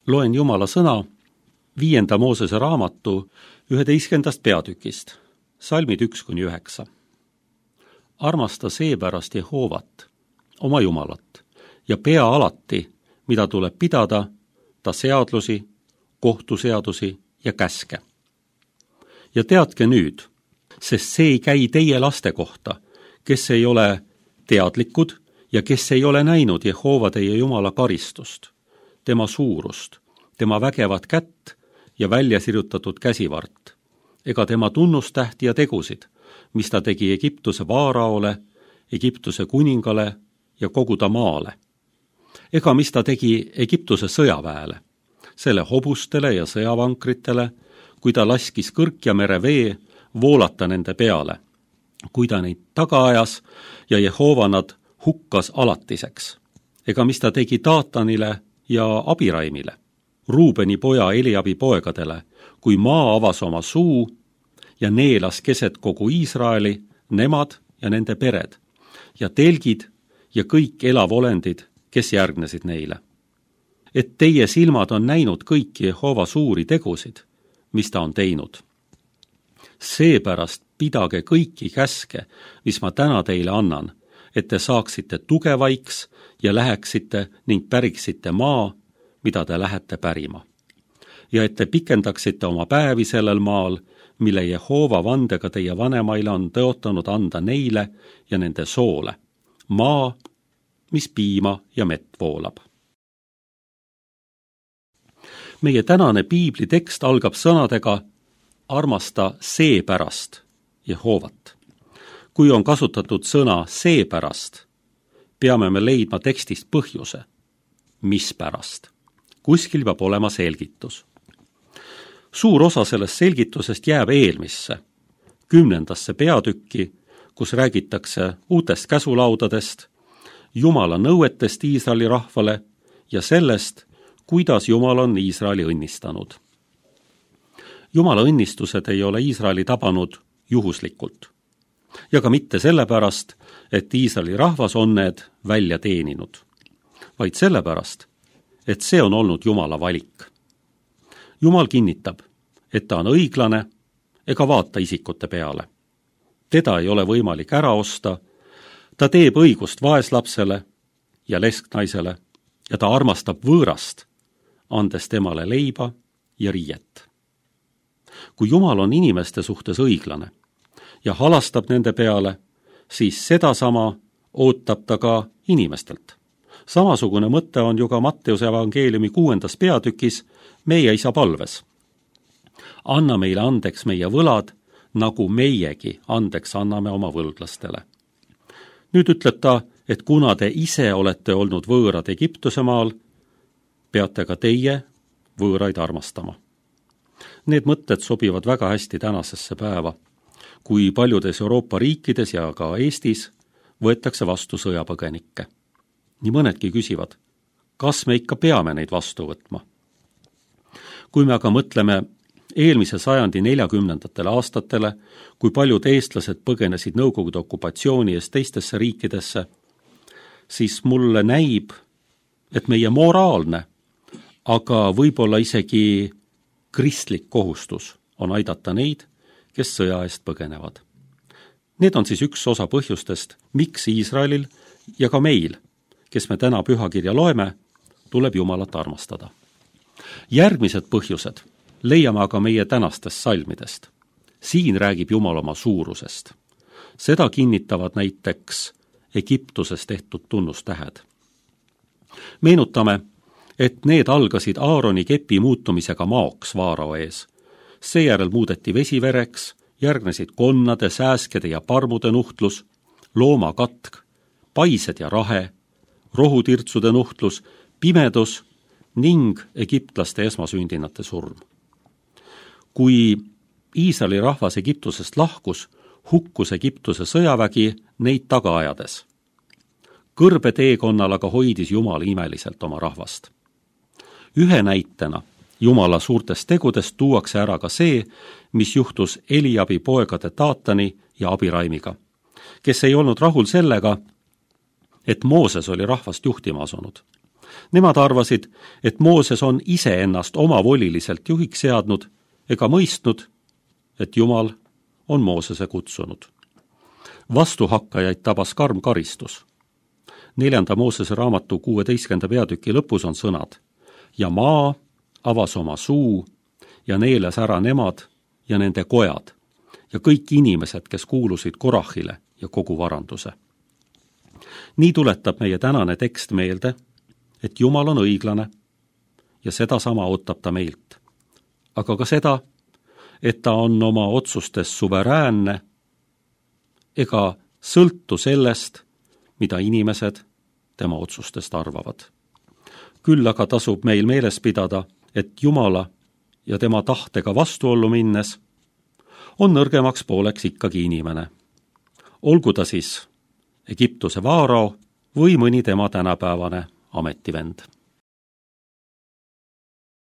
loen Jumala sõna 5. Moosese raamatu 11. peatükist, salmid 1-9. Armasta seepärast Jehoovat, oma Jumalat, ja pea alati, mida tuleb pidada, ta seadlusi, kohtuseadusi ja käske. Ja teadke nüüd, sest see ei käi teie laste kohta, kes ei ole teadlikud ja kes ei ole näinud Jehova teie Jumala karistust, tema suurust, tema vägevat kätt ja väljasirutatud käsivart, ega tema tunnustähti ja tegusid, mis ta tegi Egiptuse vaaraole, Egiptuse kuningale ja kogu ta maale, ega mis ta tegi Egiptuse sõjaväele, selle hobustele ja sõjavankritele, kui ta laskis kõrk ja merevee voolata nende peale, kui ta neid taga ajas ja Jehova nad hukkas alatiseks, ega mis ta tegi Taatanile ja Abiraimile, Ruubeni poja Eliabi poegadele, kui maa avas oma suu ja neelas keset kogu Iisraeli, nemad ja nende pered, ja telgid ja kõik elavolendid, kes järgnesid neile. Et teie silmad on näinud kõiki Jehova suuri tegusid, mis ta on teinud. Seepärast pidage kõiki käske, mis ma täna teile annan, et te saaksite tugevaiks ja läheksite ning päriksite maa, mida te lähete pärima. Ja et te pikendaksite oma päevi sellel maal, mille Jehova vandega teie vanemaile on tõotanud anda neile ja nende soole, maa, mis piima ja mett voolab. Meie tänane piibli tekst algab sõnadega armasta seepärast Jehovat. Kui on kasutatud sõna seepärast, peame me leidma tekstist põhjuse, mispärast. Kuskil peab olema selgitus. Suur osa sellest selgitusest jääb eelmisse, 10. peatükki, kus räägitakse uutest käsulaudadest, Jumala nõuetest Iisraeli rahvale ja sellest, kuidas Jumal on Iisraeli õnnistanud. Jumala õnnistused ei ole Iisraeli tabanud juhuslikult. Ja ka mitte sellepärast, et Iisraeli rahvas on need välja teeninud, vaid sellepärast, et see on olnud Jumala valik. Jumal kinnitab, et ta on õiglane ega vaata isikute peale. Teda ei ole võimalik ära osta, ta teeb õigust vaeslapsele ja lesknaisele ja ta armastab võõrast, andes temale leiba ja riiet. Kui Jumal on inimeste suhtes õiglane ja halastab nende peale, siis sedasama ootab ta ka inimestelt. Samasugune mõte on ju ka Matteuse evangeeliumi 6. peatükis meie isa palves. Anna meile andeks meie võlad, nagu meiegi andeks anname oma võlglastele. Nüüd ütleb ta, et kuna te ise olete olnud võõrad Egiptuse maal, peate ka teie võõraid armastama. Need mõtted sobivad väga hästi tänasesse päeva, kui paljudes Euroopa riikides ja ka Eestis võetakse vastu sõjapõgenikke. Nii mõnedki küsivad, kas me ikka peame neid vastu võtma? Kui me aga mõtleme eelmise sajandi 40. aastatele, kui paljud eestlased põgenesid Nõukogude okupatsiooni eest teistesse riikidesse, siis mulle näib, et meie moraalne, aga võib-olla isegi kristlik kohustus on aidata neid, kes sõja eest põgenevad. Need on siis üks osa põhjustest, miks Iisraelil ja ka meil, kes me täna pühakirja loeme, tuleb Jumalat armastada. Järgmised põhjused leiame aga meie tänastest salmidest. Siin räägib Jumal oma suurusest. Seda kinnitavad näiteks Egiptuses tehtud tunnustähed. Meenutame, et need algasid Aaroni kepi muutumisega maoks vaarao ees. Seejärel muudeti vesi vereks, järgnesid konnade, sääskede ja parmude nuhtlus, loomakatk, paised ja rahe, rohutirtsude nuhtlus, pimedus ning egiptlaste esmasündinate surm. Kui Iisraeli rahvas Egiptusest lahkus, hukkus Egiptuse sõjavägi neid taga ajades. Kõrbeteekonnal aga hoidis Jumal imeliselt oma rahvast. Ühe näitena Jumala suurtest tegudest tuuakse ära ka see, mis juhtus Eliabi poegade Taatani ja Abiraimiga, kes ei olnud rahul sellega, et Mooses oli rahvast juhtima asunud. Nemad arvasid, et Mooses on iseennast omavoliliselt juhiks seadnud ega mõistnud, et Jumal on Moosese kutsunud. Vastuhakkajaid tabas karm karistus. 4. Moosese raamatu 16. peatüki lõpus on sõnad: ja maa avas oma suu ja neelas ära nemad ja nende kojad ja kõik inimesed, kes kuulusid Korahile ja kogu varanduse. Nii tuletab meie tänane tekst meelde, et Jumal on õiglane ja sedasama ootab ta meilt. Aga ka seda, et ta on oma otsustes suveräänne ega sõltu sellest, mida inimesed tema otsustest arvavad. Küll aga tasub meil meeles pidada, et Jumala ja tema tahtega vastuollu minnes on nõrgemaks pooleks ikkagi inimene. Olgu ta siis Egiptuse vaarao või mõni tema tänapäevane ametivend.